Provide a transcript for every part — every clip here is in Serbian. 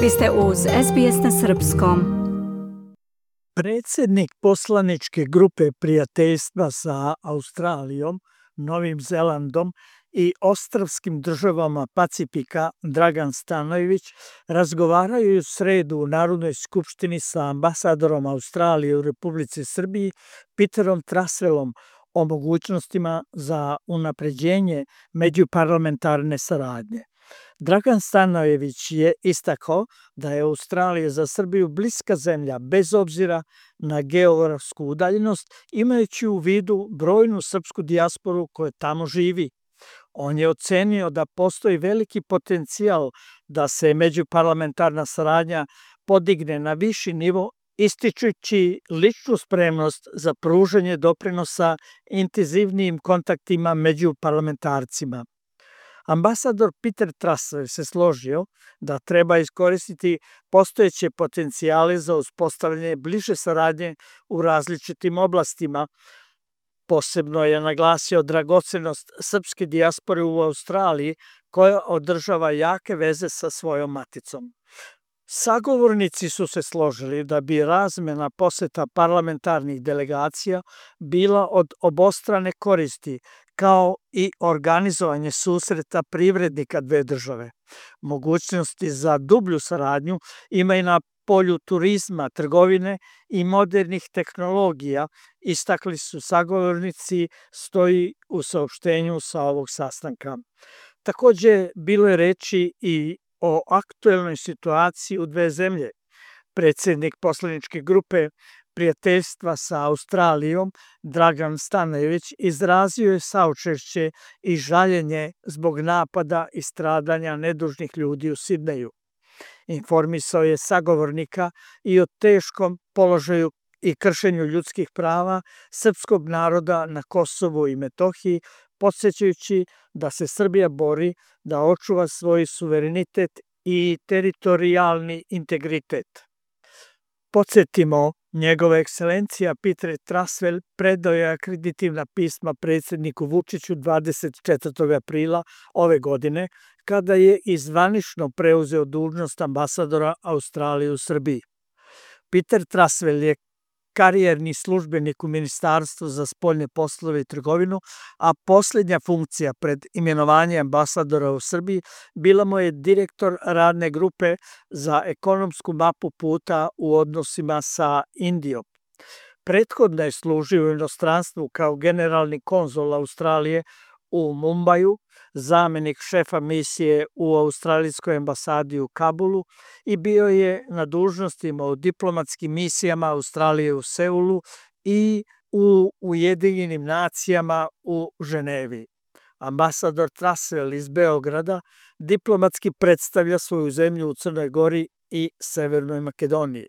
Vi ste uz SBS na srpskom. Predsjednik poslaničke grupe prijateljstva sa Australijom, Novim Zelandom i ostrvskim državama Pacifika Dragan Stanojević razgovaraju u sredu u Narodnoj skupštini sa ambasadorom Australije u Republici Srbiji Peterom Trasvelom o mogućnostima za unapređenje međuparlamentarne saradnje. Dragan Stanojević je istakao da je Australija za Srbiju bliska zemlja bez obzira na geografsku udaljenost, imajući u vidu brojnu srpsku dijasporu koja tamo živi. On je ocenio da postoji veliki potencijal da se međuparlamentarna saradnja podigne na viši nivo, ističući ličnu spremnost za pružanje doprinosa intenzivnijim kontaktima među parlamentarcima. Ambasador Peter Trasvel se složio da treba iskoristiti postojeće potencijale za uspostavljanje bliže saradnje u različitim oblastima. Posebno je naglasio dragocenost srpske dijaspore u Australiji koja održava jake veze sa svojom maticom. Sagovornici su se složili da bi razmena poseta parlamentarnih delegacija bila od obostrane koristi, kao i organizovanje susreta privrednika dve države. Mogućnosti za dublju saradnju ima i na polju turizma, trgovine i modernih tehnologija, istakli su sagovornici, stoji u saopštenju sa ovog sastanka. Takođe, bilo je reči i o aktuelnoj situaciji u dve zemlje. Predsjednik poslaničke grupe prijateljstva sa Australijom, Dragan Stanojević, izrazio je saučešće i žaljenje zbog napada i stradanja nedužnih ljudi u Sidneju. Informisao je sagovornika i o teškom položaju i kršenju ljudskih prava srpskog naroda na Kosovu i Metohiji, podsjećajući da se Srbija bori da očuva svoj suverenitet i teritorijalni integritet. Podsjetimo, njegova ekscelencija Peter Trasvel predao je akreditivna pisma predsjedniku Vučiću 24. aprila ove godine, kada je i zvanično preuzeo dužnost ambasadora Australije u Srbiji. Peter Trasvel je karijerni službenik u Ministarstvu za spoljne poslove i trgovinu, a posljednja funkcija pred imenovanje ambasadora u Srbiji bila mu je direktor radne grupe za ekonomsku mapu puta u odnosima sa Indijom. Prethodno je služio u inostranstvu kao generalni konzul Australije u Mumbaju, zamenik šefa misije u australijskoj ambasadi u Kabulu i bio je na dužnostima u diplomatskim misijama Australije u Seulu i u Ujedinjenim nacijama u Ženevi. Ambasador Trasvel iz Beograda diplomatski predstavlja svoju zemlju u Crnoj Gori i Severnoj Makedoniji.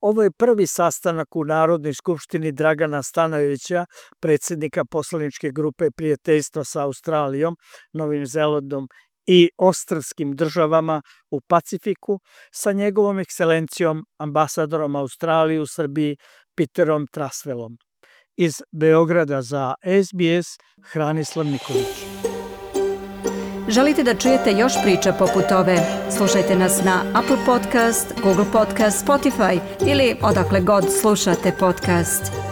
Ovo je prvi sastanak u Narodnoj skupštini Dragana Stanojevića, predsjednika poslaničke grupe prijateljstva sa Australijom, Novim Zelandom i ostrvskim državama u Pacifiku, sa njegovom ekscelencijom ambasadorom Australije u Srbiji Peterom Trasvelom. Iz Beograda za SBS, Hranislav Nikolić. Želite da čujete još priča poput ove? Slušajte nas na Apple Podcast, Google Podcast, Spotify ili odakle god slušate podcast.